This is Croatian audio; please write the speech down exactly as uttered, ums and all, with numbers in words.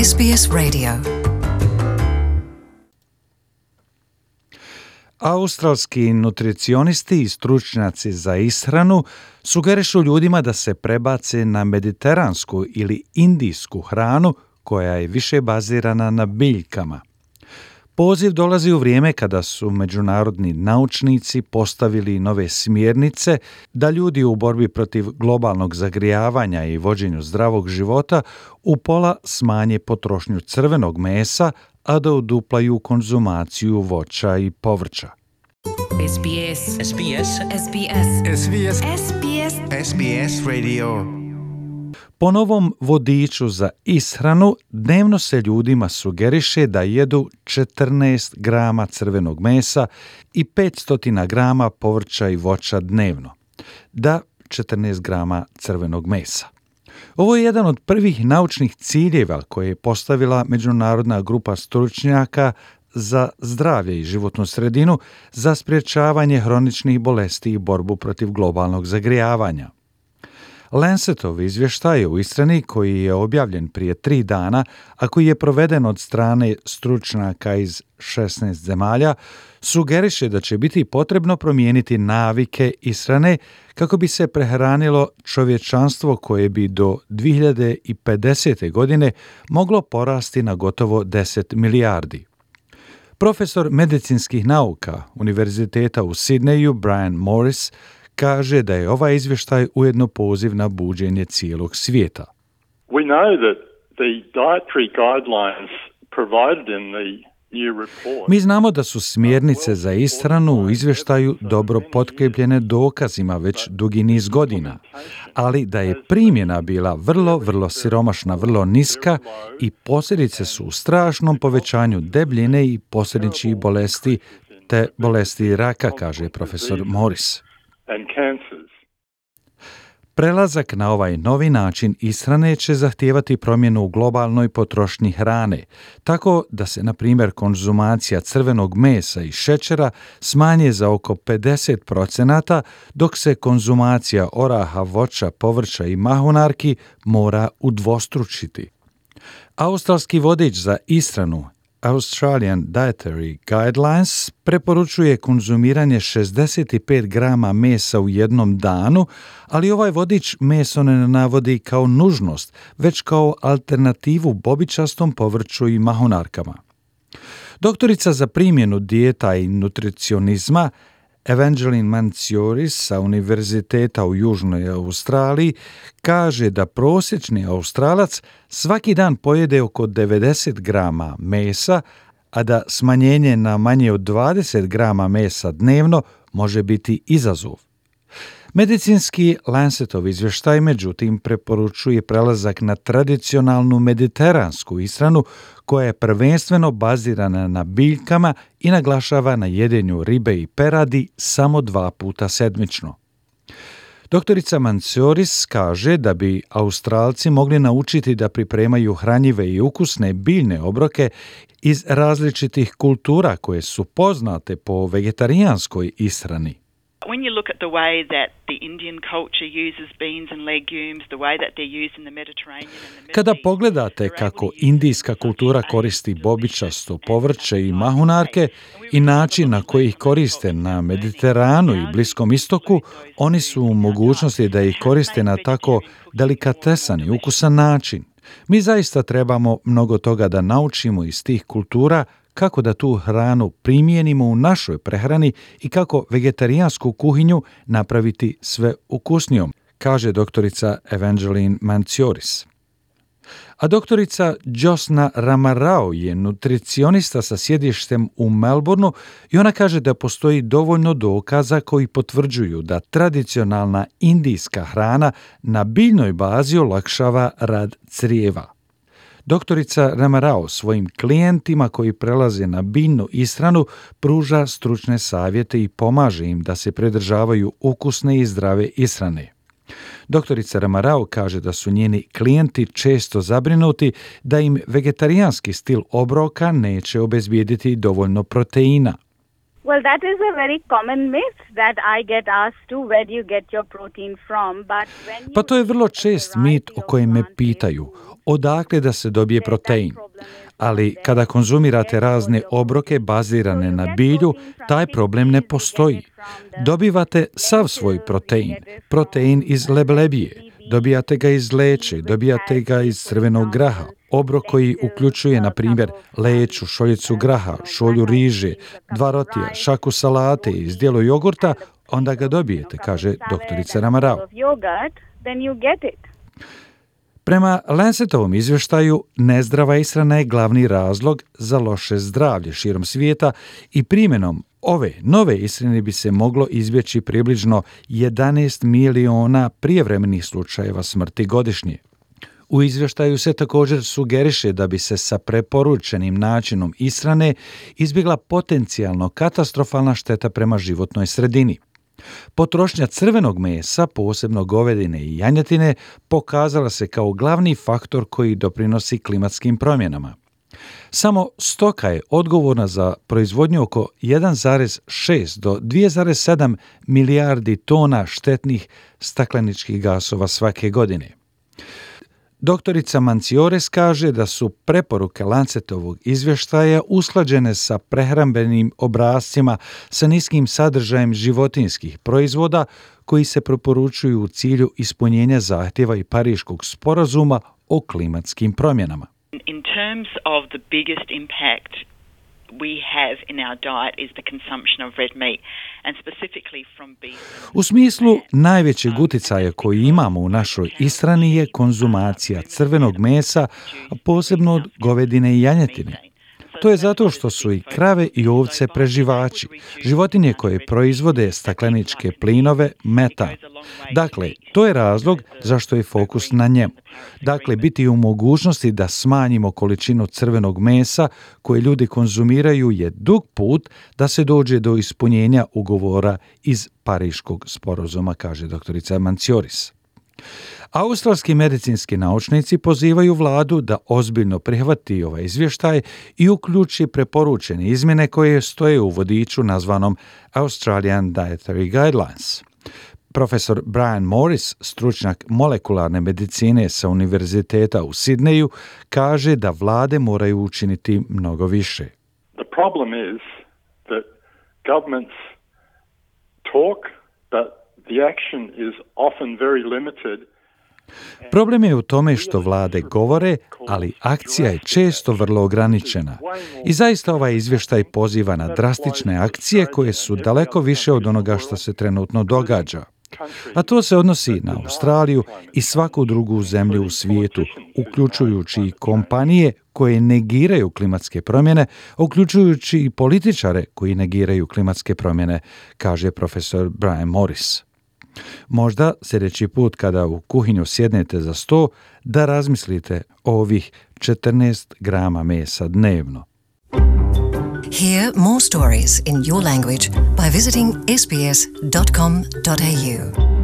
S B S Radio. Australski nutricionisti i stručnjaci za ishranu sugerišu ljudima da se prebace na mediteransku ili indijsku hranu koja je više bazirana na biljkama. Poziv dolazi u vrijeme kada su međunarodni naučnici postavili nove smjernice da ljudi u borbi protiv globalnog zagrijavanja i vođenju zdravog života upola smanje potrošnju crvenog mesa, a da uduplaju konzumaciju voća i povrća. S B S S B S S B S S B S S B S S B S Radio. Po novom vodiču za ishranu dnevno se ljudima sugeriše da jedu četrnaest grama crvenog mesa i petsto grama povrća i voća dnevno. Da, četrnaest grama crvenog mesa. Ovo je jedan od prvih naučnih ciljeva koje je postavila međunarodna grupa stručnjaka za zdravlje i životnu sredinu za sprječavanje hroničnih bolesti i borbu protiv globalnog zagrijavanja. Lancetov izvještaj u ishrani koji je objavljen prije tri dana, a koji je proveden od strane stručnjaka iz šesnaest zemalja, sugeriše da će biti potrebno promijeniti navike ishrane kako bi se prehranilo čovječanstvo koje bi do dvije hiljade pedesete. godine moglo porasti na gotovo deset milijardi. Profesor medicinskih nauka Univerziteta u Sidneju Brian Morris kaže da je ovaj izvještaj ujedno poziv na buđenje cijelog svijeta. We know that the dietary guidelines provided in the new report. Mi znamo da su smjernice za ishranu u izvještaju dobro potkrepljene dokazima već dugi niz godina, ali da je primjena bila vrlo, vrlo siromašna, vrlo niska i posljedice su u strašnom povećanju debljine i posljedičnih bolesti te bolesti raka, kaže profesor Morris. And cancers. Prelazak na ovaj novi način ishrane će zahtijevati promjenu u globalnoj potrošnji hrane, tako da se, na primjer, konzumacija crvenog mesa i šećera smanje za oko pedeset procenata, dok se konzumacija oraha, voća, povrća i mahunarki mora udvostručiti. Australski vodič za ishranu Australian Dietary Guidelines preporučuje konzumiranje šezdeset pet grama mesa u jednom danu, ali ovaj vodič meso ne navodi kao nužnost, već kao alternativu bobičastom povrću i mahunarkama. Doktorica za primjenu dijeta i nutricionizma Evangeline Mancioris sa Univerziteta u Južnoj Australiji kaže da prosječni Australac svaki dan pojede oko devedeset grama mesa, a da smanjenje na manje od dvadeset grama mesa dnevno može biti izazov. Medicinski Lancetov izvještaj međutim preporučuje prelazak na tradicionalnu mediteransku ishranu koja je prvenstveno bazirana na biljkama i naglašava na jedenju ribe i peradi samo dva puta sedmično. Doktorica Mancioris kaže da bi Australci mogli naučiti da pripremaju hranjive i ukusne biljne obroke iz različitih kultura koje su poznate po vegetarijanskoj ishrani. When you look at the way that the Indian culture uses beans and legumes, the way that they're used in the Mediterranean and the Kada pogledate kako indijska kultura koristi bobičasto povrće i mahunarke i način na koji ih koriste na Mediteranu i Bliskom istoku, oni su u mogućnosti da ih koriste na tako delikatesan i ukusan način. Mi zaista trebamo mnogo toga da naučimo iz tih kultura, kako da tu hranu primijenimo u našoj prehrani i kako vegetarijansku kuhinju napraviti sve ukusnijom, kaže doktorica Evangeline Mancioris. A doktorica Josna Ramarao je nutricionista sa sjedištem u Melbourneu i ona kaže da postoji dovoljno dokaza koji potvrđuju da tradicionalna indijska hrana na biljnoj bazi olakšava rad crijeva. Doktorica Ramarao svojim klijentima koji prelaze na biljnu ishranu pruža stručne savjete i pomaže im da se pridržavaju ukusne i zdrave ishrane. Doktorica Ramarao kaže da su njeni klijenti često zabrinuti da im vegetarijanski stil obroka neće obezbijediti dovoljno proteina. Well, that is a very common myth that I get asked to, where do you get your protein from? But when you Pa to je vrlo čest mit o kojem me pitaju. odakle da se dobije protein. Ali kada konzumirate razne obroke bazirane na bilju, taj problem ne postoji. Dobivate sav svoj protein, protein iz leblebije, dobijate ga iz leće, dobijate ga iz crvenog graha, obrok koji uključuje, na primjer, leću, šoljicu graha, šolju riže, dva rotija, šaku salate i zdjelo jogurta, onda ga dobijete, kaže doktorica Ramarao. Prema Lancetovom izvještaju, nezdrava ishrana je glavni razlog za loše zdravlje širom svijeta i primjenom ove nove ishrane bi se moglo izbjeći približno jedanaest miliona prijevremenih slučajeva smrti godišnje. U izvještaju se također sugeriše da bi se sa preporučenim načinom ishrane izbjegla potencijalno katastrofalna šteta prema životnoj sredini. Potrošnja crvenog mesa, posebno govedine i janjetine, pokazala se kao glavni faktor koji doprinosi klimatskim promjenama. Samo stoka je odgovorna za proizvodnju oko jedan zarez šest do dva zarez sedam milijardi tona štetnih stakleničkih gasova svake godine. Doktorica Manciores kaže da su preporuke Lancetovog izvještaja usklađene sa prehrambenim obrascima sa niskim sadržajem životinjskih proizvoda koji se preporučuju u cilju ispunjenja zahtjeva i Pariškog sporazuma o klimatskim promjenama. In terms of the biggest impact we have in our diet is the consumption of red meat and specifically from beef. U smislu najvećeg utjecaja koji imamo u našoj ishrani je konzumacija crvenog mesa, a posebno od govedine i janjetine. To je zato što su i krave i ovce preživači, životinje koje proizvode stakleničke plinove, metan. Dakle, to je razlog zašto je fokus na njemu. Dakle, biti u mogućnosti da smanjimo količinu crvenog mesa koje ljudi konzumiraju je dug put da se dođe do ispunjenja ugovora iz Pariškog sporazuma, kaže doktorica Mancioris. Australski medicinski naučnici pozivaju vladu da ozbiljno prihvati ovaj izvještaj i uključi preporučene izmjene koje stoje u vodiču nazvanom Australian Dietary Guidelines. Profesor Brian Morris, stručnjak molekularne medicine sa Univerziteta u Sidneju, kaže da vlade moraju učiniti mnogo više. The problem is that governments talk, but the action is often very limited. Problem je u tome što vlade govore, ali akcija je često vrlo ograničena. I zaista ovaj izvještaj poziva na drastične akcije koje su daleko više od onoga što se trenutno događa. A to se odnosi na Australiju i svaku drugu zemlju u svijetu, uključujući i kompanije koje negiraju klimatske promjene, uključujući i političare koji negiraju klimatske promjene, kaže profesor Brian Morris. Možda sljedeći put kada u kuhinju sjednete za sto, da razmislite o ovih četrnaest grama mesa dnevno. Hear more stories in your language by visiting s b s dot com dot a u.